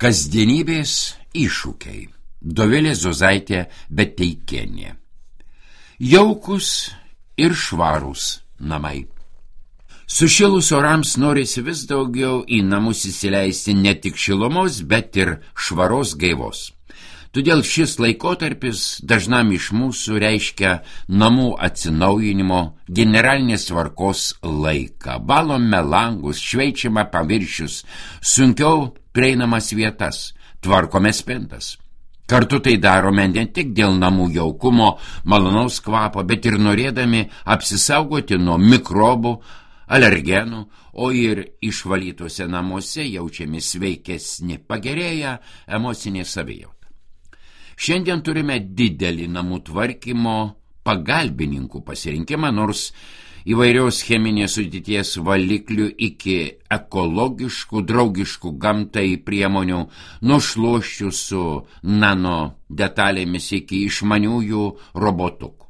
Kasdienybės iššūkiai. Dovilė Zozaitė Beteikienė. Jaukus ir švarūs namai. Sušilus orams norisi vis daugiau į namus įsileisti ne tik šilumos, bet ir švaros gaivos. Todėl šis laikotarpis dažnam iš mūsų reiškia namų atsinaujinimo, generalinės tvarkos laiką. Valome langus, šveičiame paviršius, sunkiau prieinamas vietas, tvarkome spintas. Kartu tai darome ne tik dėl namų jaukumo, malonaus kvapo, bet ir norėdami apsisaugoti nuo mikrobų, alergenų, o ir išvalytose namuose jaučiami sveikesni, pagerėja emocinė savijauta. Šiandien turime didelį namų tvarkymo pagalbininkų pasirinkimą, nors įvairios cheminės sudėties valiklių iki ekologiškų, draugiškų gamtai priemonių, nuo šluosčių su nano detalėmis iki išmaniųjų robotukų.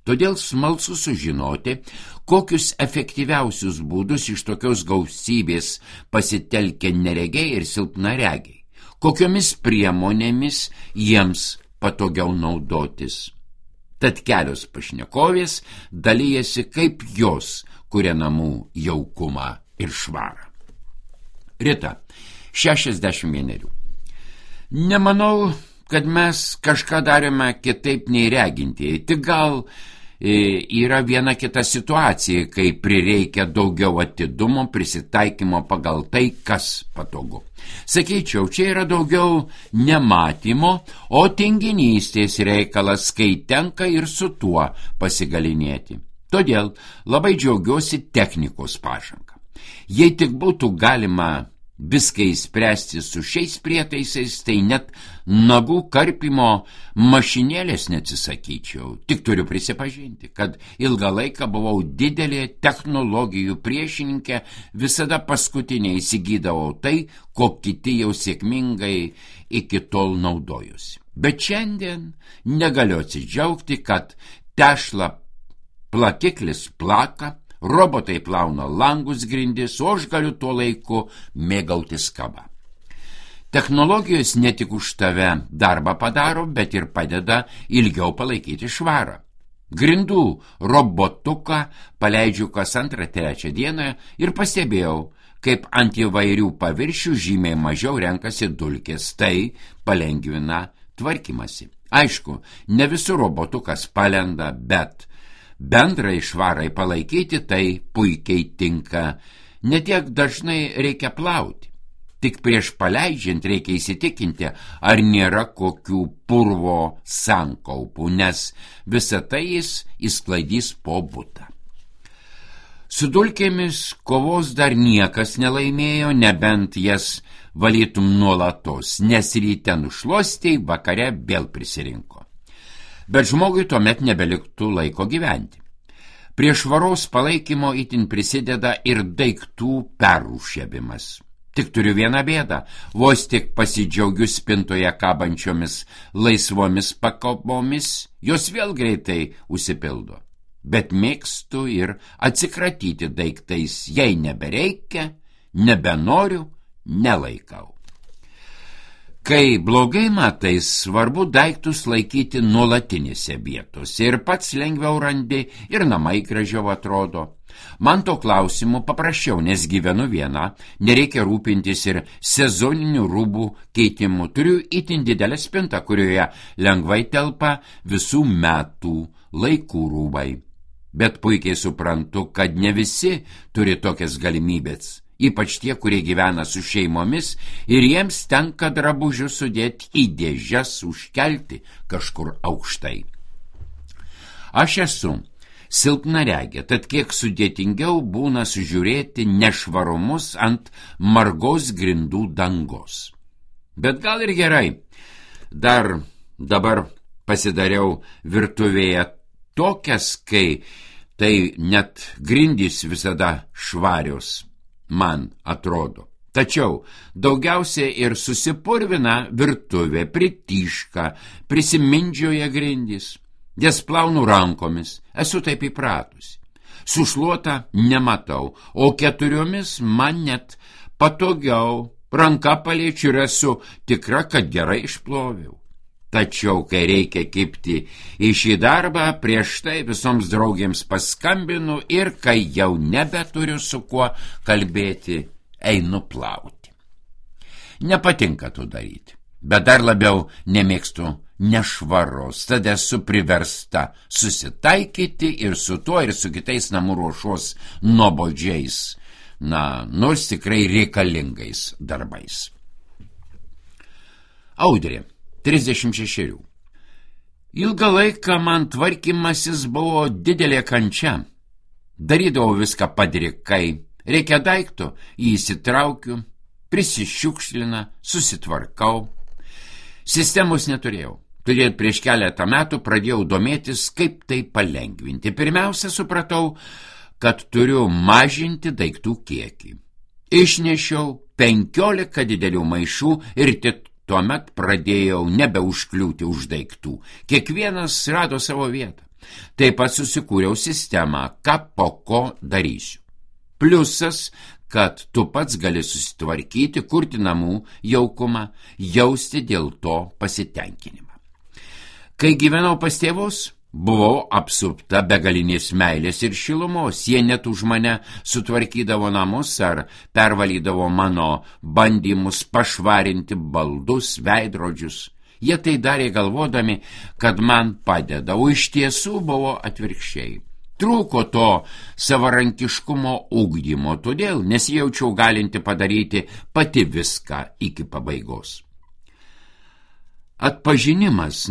Todėl smalsu sužinoti, kokius efektyviausius būdus iš tokios gausybės pasitelkia neregiai ir silpnaregiai, kokiomis priemonėmis jiems patogiau naudotis. Tad kelios pašnekovės dalyjasi, kaip jos kuria namų jaukumą ir švarą. Rita, 61. Nemanau, kad mes kažką darėme kitaip nei regintieji, tik gal yra viena kita situacija, kai prireikia daugiau atidumo, prisitaikymo pagal tai, kas patogu. Sakyčiau, čia yra daugiau nematymo, o tinginystės reikalas, kai tenka ir su tuo pasigalinėti. Todėl labai džiaugiuosi technikos pažanga. Jei tik būtų galima viską įspręsti su šiais prietaisais, tai net nagų karpimo mašinėlės neatsisakyčiau. Tik turiu prisipažinti, kad ilgą laiką buvau didelė technologijų priešininkė, visada paskutinė įsigydavau tai, ko kiti jau sėkmingai iki tol naudojusi. Bet šiandien negaliu atsidžiaugti, kad tešla plakiklis plaka, robotai plauna langus grindis, o aš galiu tuo laiku mėgautis kava. Technologijos ne tik už tave darbą padaro, bet ir padeda ilgiau palaikyti švarą. Grindų robotuką paleidžiu kas 2-3 dieną ir pastebėjau, kaip ant įvairių paviršių žymiai mažiau renkasi dulkės, tai palengvina tvarkymasi. Aišku, ne visur robotukas palenda, bet bendrai švarai palaikyti tai puikiai tinka. Netiek dažnai reikia plauti. Tik prieš paleidžiant reikia įsitikinti, ar nėra kokių purvo sankaupų, nes visą tai jis įsklaidys po butą. Su dulkėmis kovos dar niekas nelaimėjo, nebent jas valytum nuolatos, nes ryte nušluostei, vakare vėl prisirinko. Bet žmogui tuomet nebeliktų laiko gyventi. Prie švaros palaikymo itin prisideda ir daiktų perrūšiavimas. Tik turiu vieną bėdą, vos tik pasidžiaugiu spintoje kabančiomis laisvomis pakopomis, jos vėl greitai užsipildo. Bet mėgstu ir atsikratyti daiktais, jei nebereikia, nebenoriu, nelaikau. Kai blogai matai, svarbu daiktus laikyti nuolatinėse vietose ir pats lengviau randi ir namai gražiau atrodo. Man to klausimu paprasčiau, nes gyvenu viena, nereikia rūpintis ir sezoninių rūbų keitimu. Turiu itin didelę spintą, kurioje lengvai telpa visų metų laikų rūbai. Bet puikiai suprantu, kad ne visi turi tokias galimybės. Ypač tie, kurie gyvena su šeimomis ir jiems tenka drabužius sudėti į dėžes, užkelti kažkur aukštai. Aš esu silpnaregė, tad kiek sudėtingiau būna sužiūrėti nešvarumus ant margos grindų dangos. Bet gal ir gerai, dar dabar pasidariau virtuvėje tokias, kai tai net grindys visada švarios. Man atrodo. Tačiau daugiausiai ir susipurvina virtuvė, prityška, prisimindžioja grindys. Jas plaunu rankomis, esu taip įpratusi. Sušluota nematau, o 4 man net patogiau ranka paliečiu ir esu tikra, kad gerai išploviau. Tačiau, kai reikia kibti į šį darbą, prieš tai visoms draugėms paskambinu ir kai jau nebeturiu su kuo kalbėti, einu plauti. Nepatinka to daryti, bet dar labiau nemėgstu nešvaros, tad esu priversta susitaikyti ir su tuo, ir su kitais namų ruošos nuobodžiais, nors tikrai reikalingais darbais. Audrė, 36. Ilgą laiką man tvarkymasis buvo didelė kančia. Darydavau viską padrikai, reikia daikto, jį įsitraukiu, prisišiukšlina, susitvarkau. Sistemos neturėjau. Todėl prieš keletą metų pradėjau domėtis, kaip tai palengvinti. Pirmiausia, supratau, kad turiu mažinti daiktų kiekį. Išnešiau 15 didelių maišų ir tik tuomet pradėjau nebeužkliūti už daiktų. Kiekvienas rado savo vietą. Taip pat susikūriau sistemą, ką po ko darysiu. Pliusas, kad tu pats gali susitvarkyti, kurti namų jaukumą, jausti dėl to pasitenkinimą. Kai gyvenau pas tėvus, buvau apsupta begalinės meilės ir šilumos. Jie net už mane sutvarkydavo namus ar pervalydavo mano bandymus pašvarinti baldus, veidrodžius. Jie tai darė galvodami, kad man padeda, o iš tiesų buvo atvirkščiai. Trūko to savarankiškumo ugdymo, todėl nesijaučiau galinti padaryti pati viską iki pabaigos. Atpažinimas,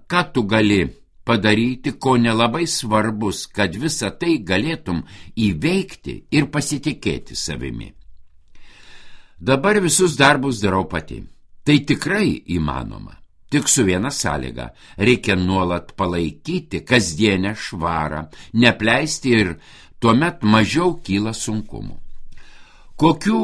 ką tu gali padaryti, ko nelabai svarbus, kad visą tai galėtum įveikti ir pasitikėti savimi. Dabar visus darbus darau pati. Tai tikrai įmanoma. Tik su viena sąlyga – reikia nuolat palaikyti kasdienę švarą, nepleisti ir tuomet mažiau kyla sunkumų. Kokių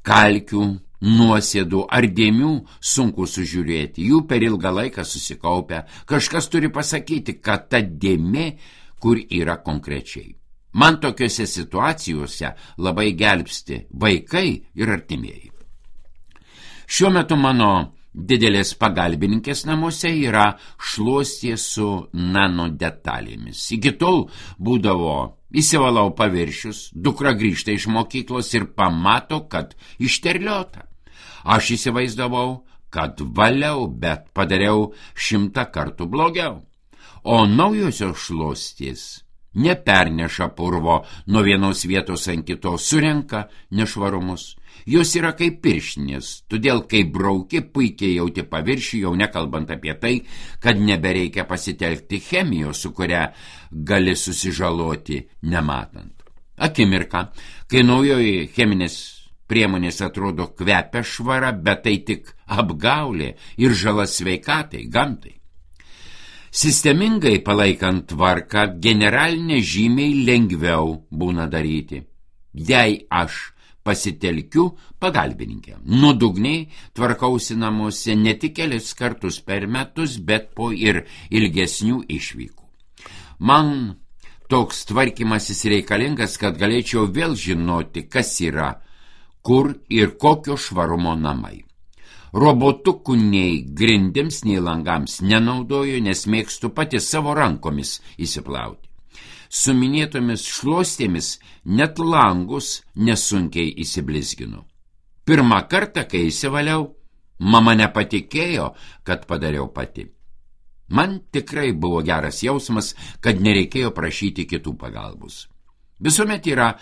kalkių, nuosėdų ar dėmių sunku sužiūrėti, jų per ilgą laiką susikaupia. Kažkas turi pasakyti, kad ta dėmė, kur yra konkrečiai. Man tokiose situacijose labai gelbsti vaikai ir artimieji. Šiuo metu mano didelės pagalbininkės namuose yra šluostė su nano detalėmis. Iki tol būdavo įsivalau paviršius, dukra grįžta iš mokyklos ir pamato, kad išterliota. Aš įsivaizdavau, kad valiau, bet padariau 100 kartų blogiau. O naujosios šluostės neperneša purvo nuo vienos vietos ant kitos, surenka nešvarumus. Jos yra kaip pirštinės, todėl kai brauki, puikiai jauti paviršių, jau nekalbant apie tai, kad nebereikia pasitelkti chemijos, su kuria gali susižaloti nematant. Akimirka, kai naujoji cheminės priemonės atrodo kvepia švara, bet tai tik apgaulė ir žala sveikatai, gamtai. Sistemingai palaikant tvarką, generalinę žymiai lengviau būna daryti. Jei aš pasitelkiu pagalbininkę, nuodugniai tvarkausi namuose ne tik kelis kartus per metus, bet po ir ilgesnių išvykų. Man toks tvarkymasis reikalingas, kad galėčiau vėl žinoti, kas yra, kur ir kokio švarumo namai. Robotukų nei grindims, nei langams nenaudoju, nes mėgstu pati savo rankomis įsiplauti. Su minėtomis šluostėmis net langus nesunkiai įsiblizginu. Pirmą kartą, kai įsivaliau, mama nepatikėjo, kad padariau pati. Man tikrai buvo geras jausmas, kad nereikėjo prašyti kitų pagalbos. Visuomet yra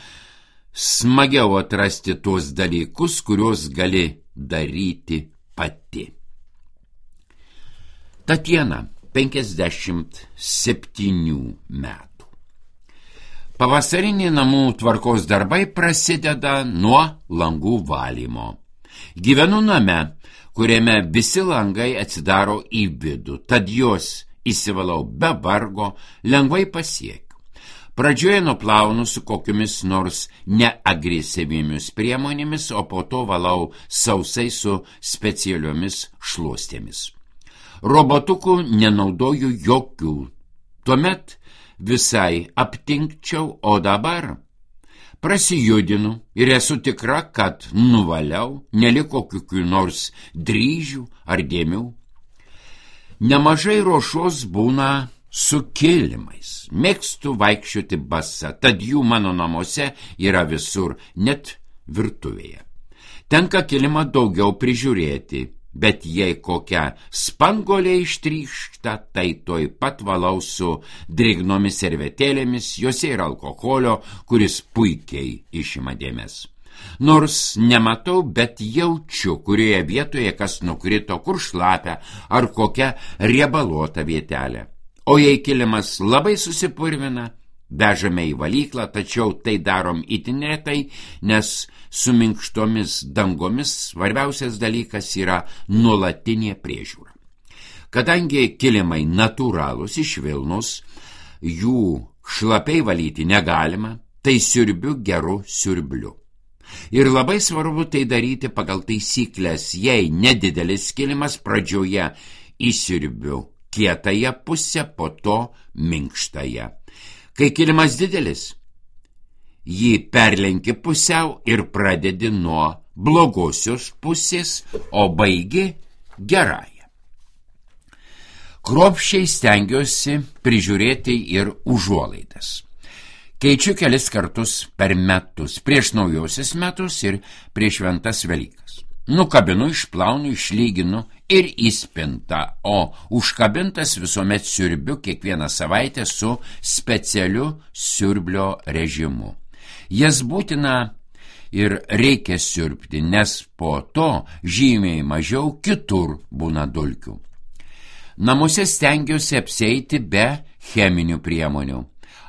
smagiau atrasti tuos dalykus, kuriuos gali daryti pati. Tatjana, 57 metų. Pavasariniai namų tvarkos darbai prasideda nuo langų valymo. Gyvenu name, kuriame visi langai atsidaro į vidų, tad juos įsivalau be vargo, lengvai pasiekiu. Pradžioje nuplaunu su kokiomis nors neagresyviomis priemonėmis, o po to valau sausai su specialiomis šluostėmis. Robotukų nenaudoju jokių. Tuomet visai aptinkčiau, o dabar Prasijudinu ir esu tikra, kad nuvaliau, neliko kokių nors dryžių ar dėmių. Nemažai ruošos būna su kilimais. Mėgstu vaikščioti basa, tad jų mano namuose yra visur, net virtuvėje. Tenka kilimą daugiau prižiūrėti, bet jei kokia spanguolė ištrykšta, tai toj pat valau su drėgnomis servetėlėmis, jose yra alkoholio, kuris puikiai išima dėmes. Nors nematau, bet jaučiu, kurioje vietoje kas nukrito, kur šlapia ar kokia riebaluota vietelė. O jei kilimas labai susipurvina, vežame į valyklą, tačiau tai darom itin retai, nes su minkštomis dangomis svarbiausias dalykas yra nuolatinė priežiūra. Kadangi kilimai natūralūs iš Vilnos, jų šlapiai valyti negalima, tai siurbiu geru siurbliu. Ir labai svarbu tai daryti pagal taisyklės, jei nedidelis kilimas pradžioje įsiurbiu kietąją pusę, po to minkštąją. Kai kilimas didelis, jį perlenki pusiau ir pradedi nuo blogosios pusės, o baigi gerąją. Kruopščiai stengiuosi prižiūrėti ir užuolaidas. Keičiu kelis kartus per metus, prieš naujosius metus ir prieš šventas Velykas. Nukabinu, išplaunu, išlyginu ir į spintą, o užkabintas visuomet siurbiu kiekvieną savaitę su specialiu siurblio režimu. Jas būtina ir reikia siurbti, nes po to žymiai mažiau kitur būna dulkių. Namuose stengiuosi apsieiti be cheminių priemonių.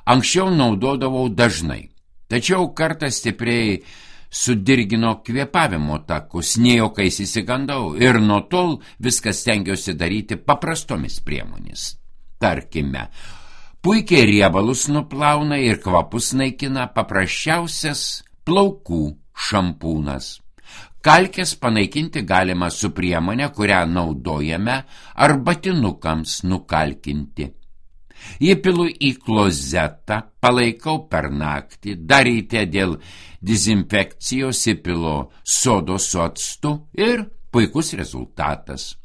Anksčiau naudodavau dažnai, tačiau kartą stipriai sudirgino kvėpavimo takus, nejokais įsigandau ir nuo tol viskas stengiuosi daryti paprastomis priemonės. Tarkime, puikiai riebalus nuplauna ir kvapus naikina paprasčiausias plaukų šampūnas. Kalkes panaikinti galima su priemonė, kurią naudojame arbatinukams nukalkinti. Įpilu į klozetą, palaikau per naktį, dar ryte dėl dezinfekcijos įpilu sodos su actu ir puikus rezultatas.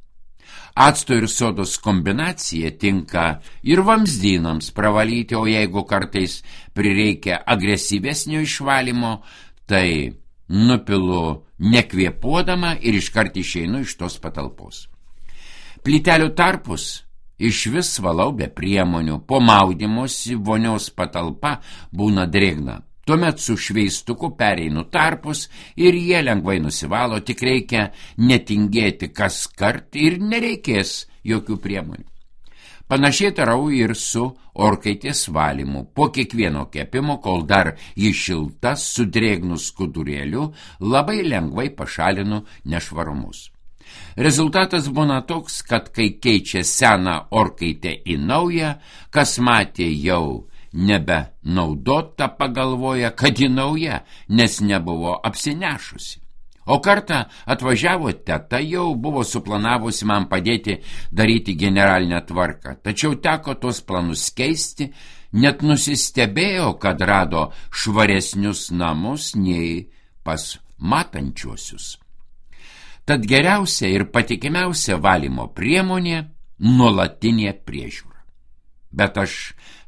Acto ir sodos kombinacija tinka ir vamzdynams pravalyti, o jeigu kartais prireikia agresyvesnio išvalymo, tai nupilu nekvėpuodama ir iškart išeinu iš tos patalpos. Plytelių tarpus iš vis valau be priemonių, po maudymosi vonios patalpa būna drėgna. Tuomet su šveistuku pereinu tarpus ir jie lengvai nusivalo, tik reikia netingėti kaskart ir nereikės jokių priemonių. Panašiai darau ir su orkaitės valymu. Po kiekvieno kepimo, kol dar ji šilta, su drėgnu skudurėliu, labai lengvai pašalinu nešvarumus. Rezultatas būna toks, kad kai keičia seną orkaitę į naują, kas matė jau nebenaudota, pagalvoja, kad ji nauja, nes nebuvo apsinešusi. O kartą atvažiavo teta, jau buvo suplanavusi man padėti daryti generalinę tvarką, tačiau teko tos planus keisti, net nusistebėjo, kad rado švaresnius namus nei pas matančiuosius. Tad geriausia ir patikimiausia valymo priemonė – nuolatinė priežiūra. Bet aš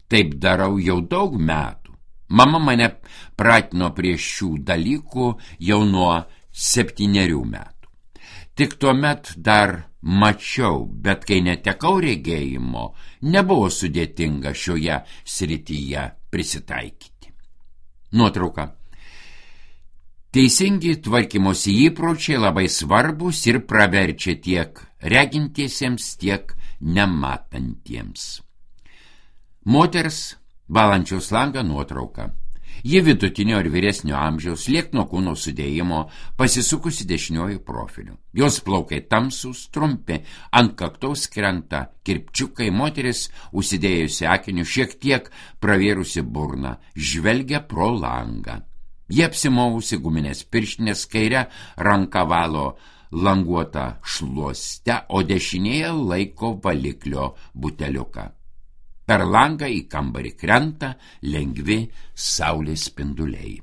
taip darau jau daug metų. Mama mane pratino prie šių dalykų jau nuo 7 metų. Tik tuomet dar mačiau, bet kai netekau regėjimo, nebuvo sudėtinga šioje srityje prisitaikyti. Nuotrauka. Teisingi tvarkymosi įpročiai labai svarbus ir praverčia tiek regintiesiems, tiek nematantiems. Moters valančiaus langą nuotrauka. Ji vidutinio ir vyresnio amžiaus, liekno kūno sudėjimo, pasisukusi dešiniuoju profiliu. Jos plaukai tamsūs, trumpi, ant kaktaus krenta kirpčiukai, moteris užsidėjusi akinius, šiek tiek pravėrusi burną, žvelgia pro langą. Jie apsimovusi guminės pirštinės, kairę ranką valo languotą šluostę, o dešinėje laiko valiklio buteliuką. Per langą į kambarį krenta lengvi saulės spinduliai.